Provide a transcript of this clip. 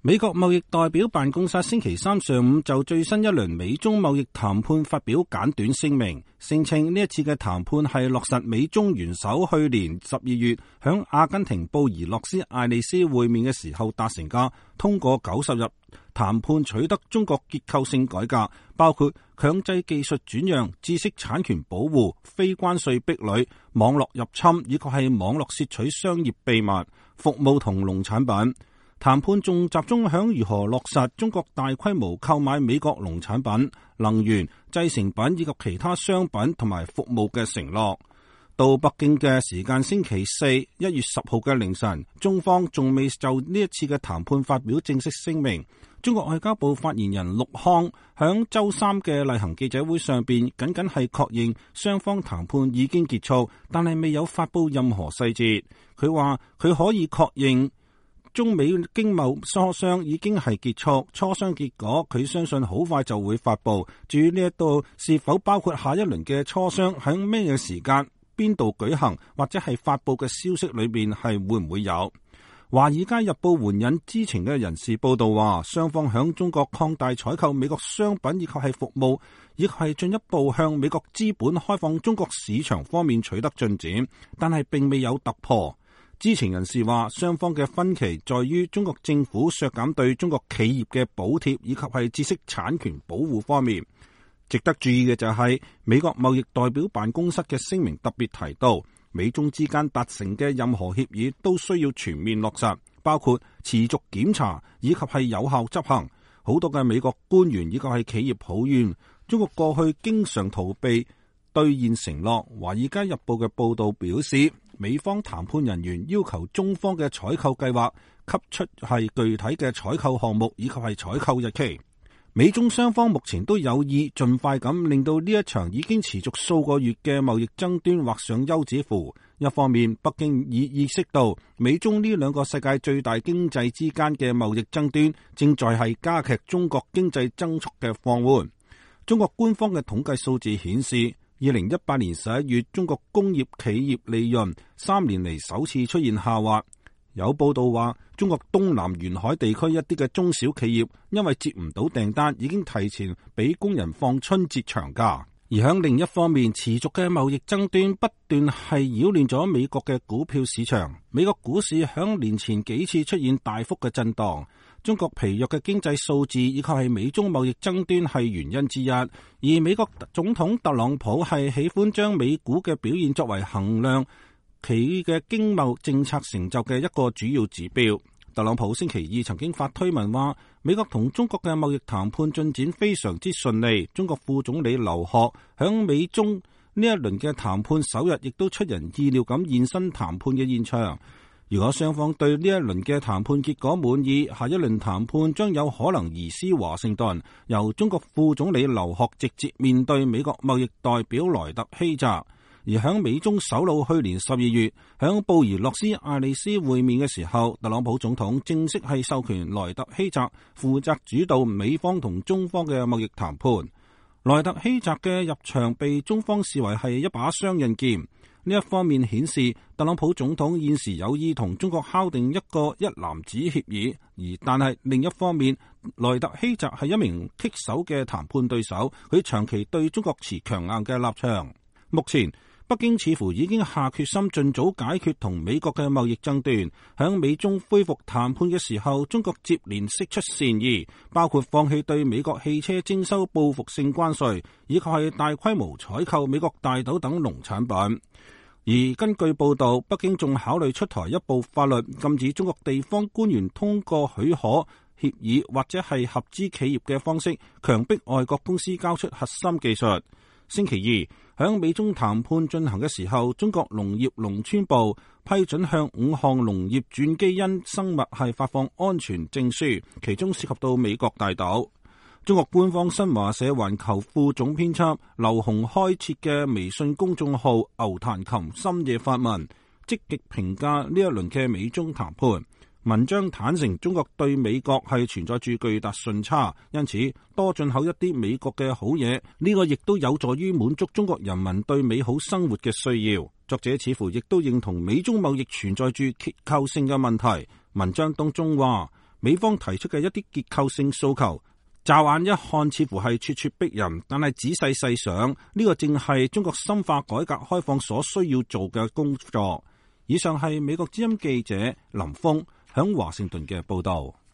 美國貿易代表辦公室星期三上午就最新一輪美中貿易談判發表簡短聲明，聲稱呢一次嘅談判係落實美中元首去年12月響阿根廷布宜諾斯艾利斯會面嘅時候達成嘅，通過90日談判取得中國結構性改革，包括強制技術轉讓、知識產權保護、非關稅壁壘、網絡入侵以及係網絡竊取商業秘密、服務同農產品。談判仲集中響如何落實中國大規模購買美國農產品、能源、製成品以及其他商品同埋服務嘅承諾。到北京嘅時間星期四1月10號嘅凌晨，中方仲未就呢一次嘅談判發表正式聲明。中國外交部發言人陸康響周三嘅例行記者會上邊，僅僅係確認雙方談判已經結束，但係未有發布任何細節。佢話佢可以確認中美經貿磋商已經係結束，磋商結果佢相信好快就會發布。至於呢一度是否包括下一輪嘅磋商喺咩嘅時間、邊度舉行，或者係發布嘅消息裏邊係會唔會有？華爾街日報援引知情嘅人士報道話，雙方響中國擴大採購美國商品以及係服務，以及係進一步向美國資本開放中國市場方面取得進展，但係並未有突破。知情人士話，雙方嘅分歧在於中國政府削減對中國企業嘅補貼以及係知識產權保護方面。值得注意嘅就係美國貿易代表辦公室嘅聲明特別提到，美中之間達成嘅任何協議都需要全面落實，包括持續檢查以及係有效執行。好多嘅美國官員以及係企業抱怨中國過去經常逃避兌現承諾。華爾街日報嘅報道表示，美方談判人員要求中方嘅採購計劃給出係具體嘅採購項目以及係採購日期。美中雙方目前都有意盡快咁令到呢一場已經持續數個月嘅貿易爭端畫上休止符。一方面，北京已意識到美中呢兩個世界最大經濟之間嘅貿易爭端正在係加劇中國經濟增速嘅放緩。中國官方嘅統計數字顯示，2018年11月中國工業企業利潤3年嚟首次出現下滑。有報道話，中國東南沿海地區一啲嘅中小企業因為接唔到訂單，已經提前俾工人放春節長假。而喺另一方面，持續嘅貿易爭端不斷係擾亂咗美國嘅股票市場。美國股市響年前幾次出現大幅嘅震盪。中國疲弱嘅經濟數字以及係美中貿易爭端係原因之一。而美國總統特朗普係喜歡將美股嘅表現作為衡量其嘅經貿政策成就嘅一個主要指標。特朗普星期二曾經發推文話，美國同中國嘅貿易談判進展非常之順利。中國副總理劉鶴響美中呢一輪嘅談判首日，亦都出人意料咁現身談判嘅現場。如果雙方對呢一輪嘅談判結果滿意，下一輪談判將有可能移師華盛頓，由中國副總理劉鶴直接面對美國貿易代表萊特希澤。而響美中首腦去年12月響布宜諾斯艾利斯會面嘅時候，特朗普總統正式係授權萊特希澤負責主導美方同中方嘅貿易談判。萊特希澤嘅入場被中方視為係一把雙刃劍。呢一方面顯示特朗普總統現時有意同中國敲定一個一籃子協議，但係另一方面，萊特希澤係一名棘手嘅談判對手，佢長期對中國持強硬嘅立場。目前北京似乎已經下決心盡早解決同美國嘅貿易爭端。響美中恢復談判嘅時候，中國接連釋出善意，包括放棄對美國汽車徵收報復性關稅，以及係大規模採購美國大豆等農產品。而根據報道，北京仲考慮出台一部法律，禁止中國地方官員通過許可協議或者係合資企業嘅方式，強迫外國公司交出核心技術。星期二，響美中談判進行嘅時候，中國農業農村部批准向5項農業轉基因生物係發放安全證書，其中涉及到美國大豆。中國官方新華社環球副總編輯劉洪開設嘅微信公眾號牛彈琴深夜發文，積極評價呢一輪嘅美中談判。文章坦承中國對美國係存在住巨大順差，因此多進口一啲美國嘅好嘢，呢個亦都有助於滿足中國人民對美好生活嘅需要。作者似乎亦都認同美中貿易存在住結構性嘅問題。文章當中話，美方提出嘅一啲結構性訴求，驟眼一看似乎係咄咄逼人，但係仔細細想，呢個正係中國深化改革開放所需要做嘅工作。以上係美國之音記者林峰響華盛頓嘅報道。